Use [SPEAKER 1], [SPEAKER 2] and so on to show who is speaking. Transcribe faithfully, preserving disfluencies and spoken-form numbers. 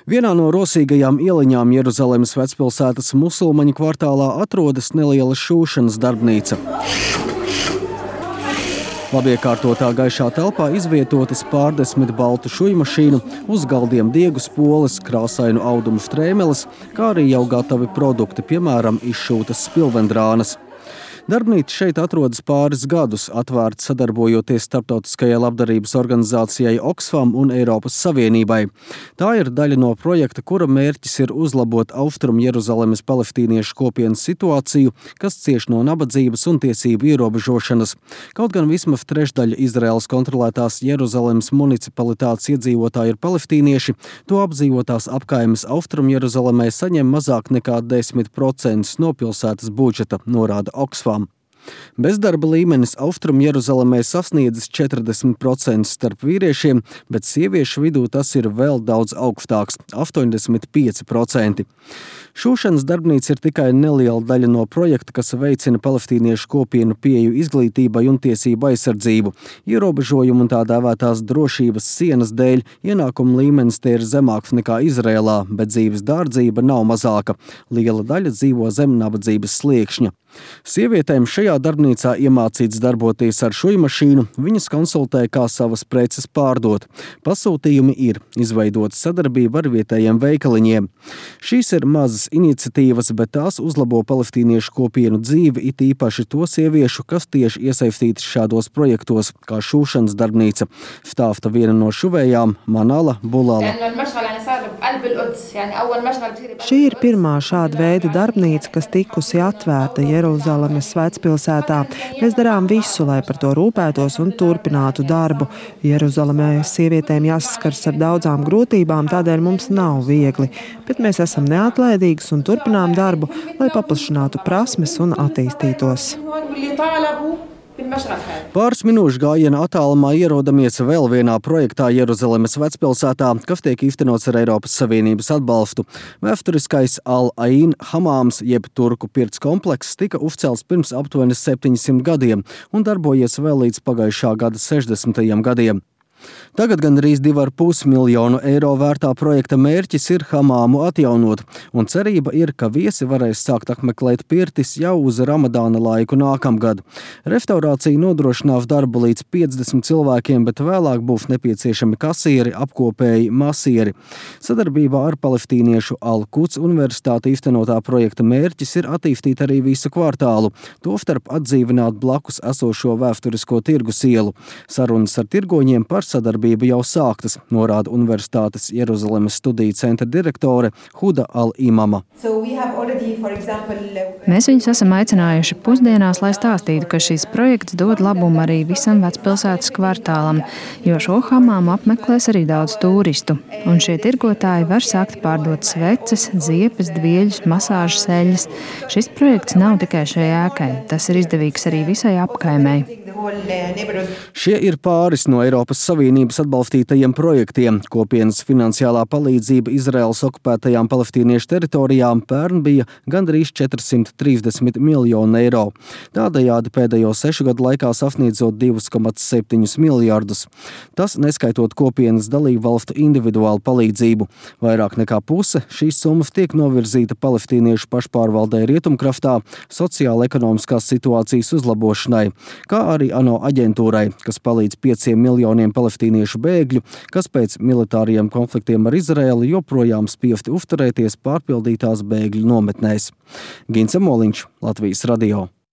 [SPEAKER 1] Vienā no rosīgajām ieliņām Jeruzalemes vecpilsētas musulmaņu kvartālā atrodas neliela šūšanas darbnīca. Labiekārtotā gaišā telpā izvietotas pārdesmit baltu šujmašīnu, uz galdiem diegu spoles, krāsainu audumu strēmeles, kā arī jau gatavi produkti, piemēram, izšūtas spilvendrānas. Darbnīca šeit atrodas pāris gadus, atvērta sadarbojoties starptautiskajai labdarības organizācijai Oxfam un Eiropas Savienībai. Tā ir daļa no projekta, kura mērķis ir uzlabot Austrumu Jeruzalemes palestīniešu kopienas situāciju, kas cieš no nabadzības un tiesību ierobežošanas. Kaut gan vismaz trešdaļa Izraēlas kontrolētās Jeruzalemes municipalitātes iedzīvotāji ir palestīnieši, to apdzīvotās apkaimes Austrumu Jeruzalemē saņem mazāk nekā desmit procentus no pilsētas budžeta, norāda Oxfam. Bezdarba līmenis Austrumu Jeruzalemē sasniedzis četrdesmit procentus starp vīriešiem, bet sieviešu vidū tas ir vēl daudz augstāks – astoņdesmit pieci procenti. Šūšanas darbnīca ir tikai neliela daļa no projekta, kas veicina palestīniešu kopienu pieeju izglītībai un tiesību aizsardzību. Ierobežojumu un tā dēvētās drošības sienas dēļ ienākuma līmenis te ir zemāks nekā Izrēlā, bet dzīves dārdzība nav mazāka. Liela daļa dzīvo zem nabadzības sliekšņa. Sievietēm šajā darbnīcā iemācīts darboties ar šujmašīnu, viņas konsultē, kā savas preces pārdot. Pasūtījumi ir izveidota sadarbība ar vietējiem veikaliņiem. Šīs ir mazas iniciatīvas, bet tās uzlabo palestīniešu kopienu dzīvi, it īpaši to sieviešu, kas tieši iesaistītas šādos projektos, kā šūšanas darbnīca. Stāsta viena no šuvējām Manala Bulala.
[SPEAKER 2] Šī ir pirmā šāda veida darbnīca, kas tikusi atvērta Jeruzalemes vecpilsētā. Mēs darām visu, lai par to rūpētos un turpinātu darbu. Jeruzalemē sievietēm jāsaskars ar daudzām grūtībām, tādēļ mums nav viegli, bet mēs esam neatlaidīgas un turpinām darbu, lai paplašinātu prasmes un attīstītos.
[SPEAKER 1] Pāris minūšu gājiena attālumā ierodamies vēl vienā projektā Jeruzalemes vecpilsētā, kas tiek īstenots ar Eiropas Savienības atbalstu. Vēsturiskais Al-Ain hamāms, jeb turku pirts komplekss, tika uzcelts pirms aptuveni septiņsimt gadiem un darbojies vēl līdz pagājušā gada sešdesmitajiem gadiem. Tagad gandrīz divi ar pus miljonu eiro vērtā projekta mērķis ir hamāmu atjaunot, un cerība ir, ka viesi varēs sākt apmeklēt pirtis jau uz Ramadāna laiku nākamgad. Restaurācija nodrošinās darbu līdz piecdesmit cilvēkiem, bet vēlāk būs nepieciešami kasieri, apkopēji, masieri. Sadarbībā ar palestīniešu Al-Quds universitāti īstenotā projekta mērķis ir attīstīt arī visu kvartālu, tostarp atdzīvināt blakus esošo vēsturisko tirgus ielu. Sarunas ar tirgoņiem par sadarbība jau sāktas, norāda Universitātes Jeruzalemes studiju centra direktore Huda Al-Imama.
[SPEAKER 3] Mēs viņus esam aicinājuši pusdienās, lai stāstītu, ka šis projekts dod labumu arī visam vecpilsētas kvartālam, jo šo hamāmu apmeklēs arī daudz turistu. Un šie tirgotāji var sākt pārdot sveces, ziepes, dvieļus, masāžas eļļas. Šis projekts nav tikai šai ēkai, tas ir izdevīgs arī visai apkaimei.
[SPEAKER 1] Šie ir pāris no Eiropas Savienības atbalstītajiem projektiem. Kopienas finansiālā palīdzība Izraēlas okupētajām palestīniešu teritorijām pērn bija gandrīz četrsimt trīsdesmit miljoni eiro. Tādējādi pēdējo sešu gadu laikā sasniedzot divus komats septiņus miljardus. Tas neskaitot kopienas dalību valstu individuālu palīdzību. Vairāk nekā puse šīs summas tiek novirzīta palestīniešu pašpārvaldē Rietumkrastā sociāla-ekonomiskās situācijas uzlabošanai, kā arī ANO aģentūrai, kas palīdz pieciem miljoniem palestīniešu bēgļu, kas pēc militāriem konfliktiem ar Izraēlu joprojām spiesti uzturēties pārpildītās bēgļu nometnēs. Gins Amoliņš, Latvijas radio.